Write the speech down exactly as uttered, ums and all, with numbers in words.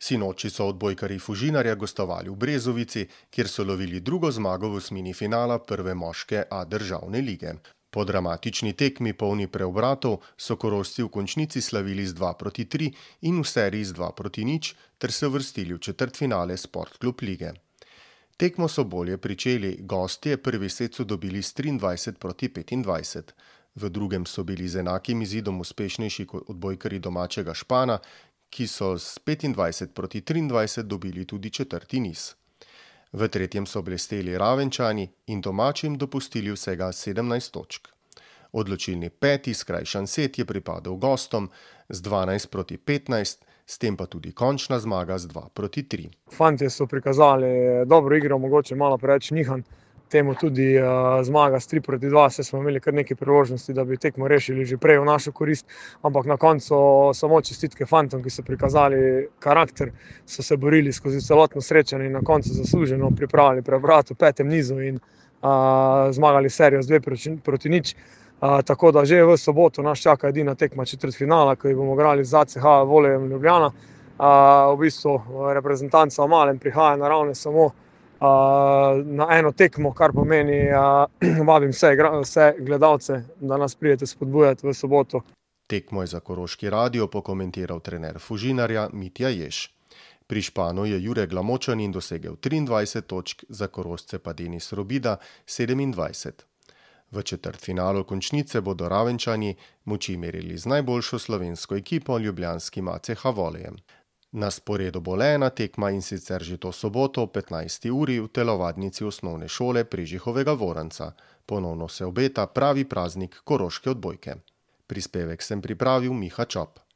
Sinoči so odbojkarji Fužinarja gostovali v Brezovici, kjer so lovili drugo zmago v osmini finala prve moške A državne lige. Po dramatični tekmi polni preobratov so Korošci v končnici slavili z dva proti tri in v seriji z dva proti nič ter se uvrstili v četrtfinale Sportklub lige. Tekmo so bolje pričeli, gostje prvi set so dobili s triindvajset proti petindvajset. V drugem so bili z enakim izidom uspešnejši kot odbojkarji domačega Špana, ki so s petindvajset proti triindvajset dobili tudi četrti niz. V tretjem so blesteli Ravenčani in domačim dopustili vsega sedemnajst točk. Odločilni peti skrajšan set je pripadel gostom z dvanajst proti petnajst, s tem pa tudi končna zmaga z dva proti tri. Fantje so prikazali dobro igro, mogoče malo preveč nihanj. Temu tudi uh, zmaga s tri proti dva, saj smo imeli kar nekaj priložnosti, da bi tekmo rešili že prej v našo korist, ampak na koncu samo čestitke fantom, ki so prikazali karakter, so se borili skozi celotno srečanje in na koncu zasluženo pripravili preobrat v petem nizu in uh, zmagali serijo z dve proti, proti nič. Uh, tako da že v soboto nas čaka edina tekma četrtfinala, ko bomo igrali z A C H Volejem Ljubljana. Uh, v bistvu reprezentanca v malem prihaja naravne samo Uh, na eno tekmo, kar pomeni, uh, vabim vse, vse gledalce, da nas pridete spodbujati v soboto. Tekmo je za Koroški radio pokomentiral trener Fužinarja Mitja Jež. Pri Španu je Jure Glamočanin dosegel triindvajset točk, za Korošce pa Denis Robida sedemindvajset. V četrtfinalu končnice bodo Ravenčani moči merili z najboljšo slovensko ekipo ljubljanskim A C H Volejem. Na sporedu bo le ena tekma in sicer že to soboto ob petnajsti uri v telovadnici osnovne šole Prežihovega Voranca. Ponovno se obeta pravi praznik koroške odbojke. Prispevek sem pripravil Miha Čop.